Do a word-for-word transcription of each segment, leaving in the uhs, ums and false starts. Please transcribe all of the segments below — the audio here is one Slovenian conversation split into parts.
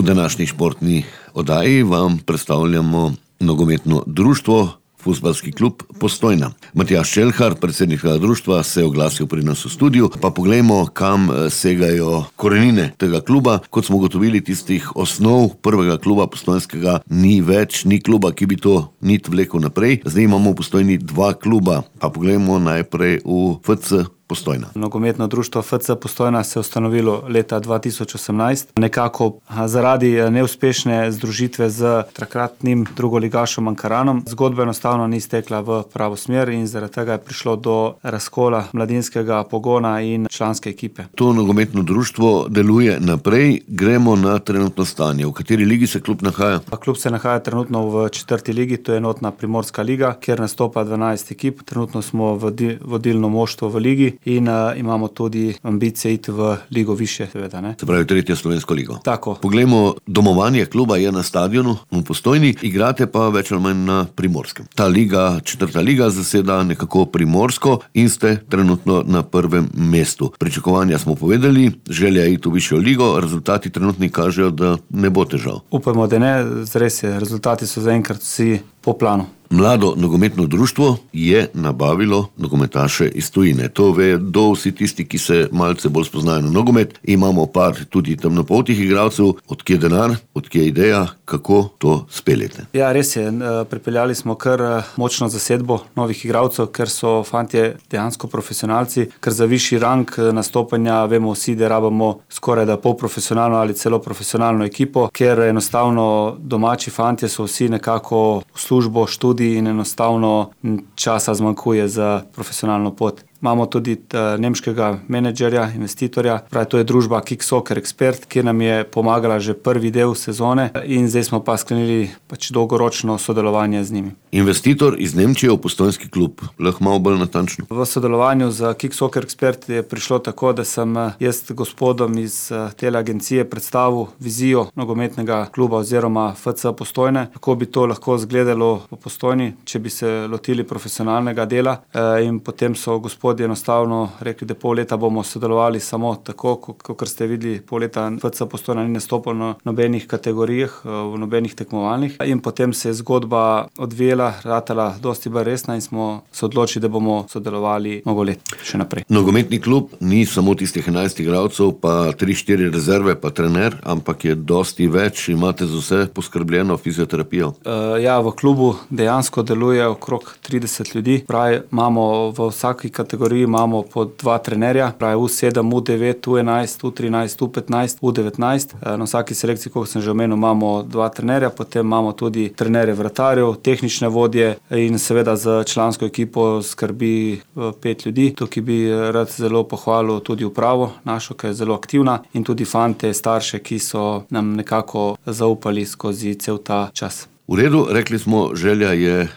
današnji športni oddaji vam predstavljamo nogometno društvo Fuzbalski klub Postojna. Matjaž Čelhar, predsednik tega društva, se je oglasil pri nas v studiu. Pa poglejmo, kam segajo korenine tega kluba. Kot smo ugotovili, tistih osnov prvega kluba postojnskega ni več, ni kluba, ki bi to nit vlekel naprej. Zdaj imamo v Postojni dva kluba. Pa poglejmo najprej v F C Postojna. Nogometno društvo F C Postojna se je ustanovilo leta dva tisoč osemnajst. Nekako zaradi neuspešne združitve z takratnim drugoligašom Ankaranom zgodba enostavno ni stekla v pravo smer in zaradi tega je prišlo do razkola mladinskega pogona in članske ekipe. To nogometno društvo deluje naprej. Gremo na trenutno stanje. V kateri ligi se klub nahaja? Klub se nahaja trenutno v četrti ligi, to je enotna Primorska liga, kjer nastopa dvanajst ekip. Trenutno smo v vodilno moštvo v ligi in uh, imamo tudi ambicije iti v ligo više, seveda, ne. Se pravi, tretjo slovensko ligo. Tako. Poglejmo, domovanje kluba je na stadionu v Postojni, igrate pa več ali manj na Primorskem. Ta liga, četrta liga, zaseda nekako Primorsko in ste trenutno na prvem mestu. Pričakovanja smo povedali, želja iti v višjo ligo, rezultati trenutni kažejo, da ne bo težav. Upajmo, da ne, res je, rezultati so zaenkrat vsi po planu. Mlado nogometno društvo je nabavilo nogometaše iz tujine. To vedo vsi tisti, ki se malce bolj spoznajo na nogomet. Imamo par tudi temnopoltih igralcev. Odkje denar, odkje ideja, kako to speljete? Ja, res je. Pripeljali smo kar močno zasedbo novih igralcev, ker so fantje dejansko profesionalci, ker za višji rang nastopanja vemo vsi, da rabamo skoraj da polprofesionalno ali celo profesionalno ekipo, ker enostavno domači fantje so vsi nekako v službo, študij in enostavno časa zmanjkuje za profesionalno pot. Imamo tudi nemškega menedžerja, investitorja, pravi, to je družba Kick Soccer Expert, ki nam je pomagala že prvi del sezone in zdaj smo pa sklenili pač dolgoročno sodelovanje z njimi. Investitor iz Nemčije v postojnski klub, lahko malo bolj natančno. V sodelovanju z Kick Soccer Expert je prišlo tako, da sem jaz gospodom iz tele agencije predstavil vizijo nogometnega kluba oziroma F C Postojne, kako bi to lahko izgledalo v Postojni, če bi se lotili profesionalnega dela, in potem so gospod enostavno rekli, da pol leta bomo sodelovali samo tako, kot ste videli, pol leta F C Postojna ni nastopil na nobenih kategorijah, v nobenih tekmovalnih in potem se je zgodba odvijela, ratala dosti bolj resna in smo se odločili, da bomo sodelovali mnogo let še naprej. Nogometni klub ni samo tistih enajst igralcev, pa tri štiri rezerve, pa trener, ampak je dosti več, imate za vse poskrbljeno fizioterapijo? Uh, ja, v klubu dejansko deluje okrog trideset ljudi, pravi, imamo v vsaki kategoriji imamo po dva trenerja, pravi U sedem, U devet, U enajst, U trinajst, U petnajst, U devetnajst. Na vsaki selekciji, kot sem že omenil, imamo dva trenerja, potem imamo tudi trenerje vratarjev, tehnične vodje in seveda z člansko ekipo skrbi pet ljudi. Tukaj bi rad zelo pohvalil tudi upravo našo, ki je zelo aktivna, in tudi fante, starše, ki so nam nekako zaupali skozi cel ta čas. V redu, rekli smo, želja je e,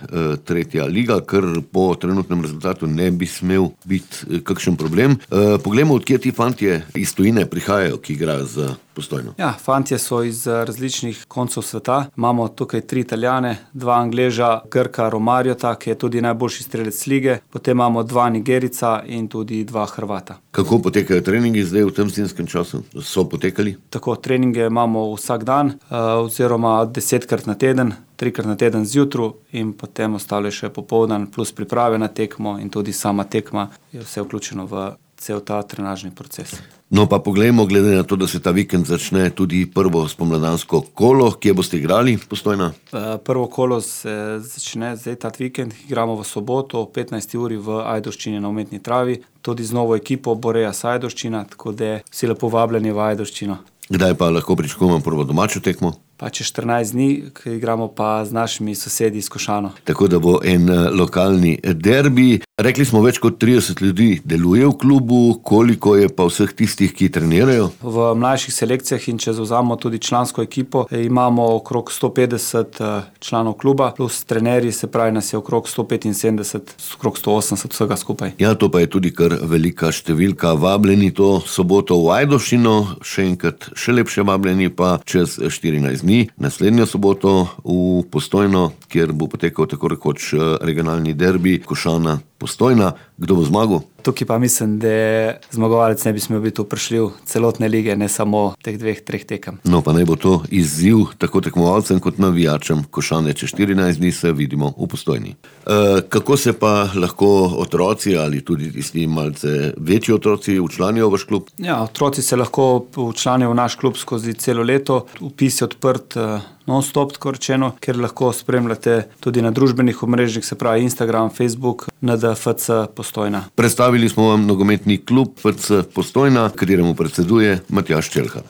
tretja liga, ker po trenutnem rezultatu ne bi smel biti e, kakšen problem. E, poglejmo, odkje ti fantje iz tujine prihajajo, ki igrajo za Postojno. Ja, fantje so iz različnih koncev sveta. Imamo tukaj tri Italijane, dva Angleža, Grka Romarjota, ki je tudi najboljši strelec lige, potem imamo dva Nigerica in tudi dva Hrvata. Kako potekajo treningi zdaj v tem zimskem času? So potekali? Tako, treninge imamo vsak dan, oziroma desetkrat na teden, trikrat na teden zjutru in potem ostale še popoldan, plus priprave na tekmo in tudi sama tekma je vse vključeno v cel ta trenažni proces. No pa poglejmo, glede na to, da se ta vikend začne tudi prvo spomladansko kolo, kje boste igrali Postojna? Prvo kolo se začne zdaj ta vikend, igramo v soboto o petnajsti uri v Ajdovščini na umetni travi, tudi z novo ekipo Boreja Ajdovščina, tako da vsi lepo vabljeni v Ajdovščino. Kdaj pa lahko pričakujemo prvo domačo tekmo? Pa čez štirinajst dni, ki igramo pa z našimi sosedi iz Košano. Tako da bo en lokalni derbi. Rekli smo, več kot trideset ljudi deluje v klubu, koliko je pa vseh tistih, ki trenirajo? V mlajših selekcijah in če zavzamemo tudi člansko ekipo, imamo okrog sto petdeset članov kluba, plus trenerji, se pravi, nas je okrog sto petinsedemdeset, okrog sto osemdeset vsega skupaj. Ja, to pa je tudi kar velika številka. Vabljeni to soboto v Ajdovščino, še enkrat še lepše vabljeni pa čez štirinajst dni, naslednjo soboto v Postojno, kjer bo potekal tako rekoč regionalni derbi Košana Postojna. Kdo bo zmagal? Tukaj pa mislim, da zmagovalec ne bi smel biti vprašljiv celotne lige, ne samo teh dveh, treh tekem. No, pa naj bo to izziv tako tekmovalcem kot navijačem. Košane čez štirinajst dni se vidimo v Postojni. E, kako se pa lahko otroci ali tudi tisti malce večji otroci včlanijo v vaš klub? Ja, otroci se lahko včlanijo v naš klub skozi celo leto. Vpis je odprt non-stop, tako rečeno, ker lahko spremljate tudi na družbenih omrežjih, se pravi Instagram, Facebook, N D F C Postojna. Predstavili smo vam nogometni klub F C Postojna, kateremu predseduje Matjaž Čelhar.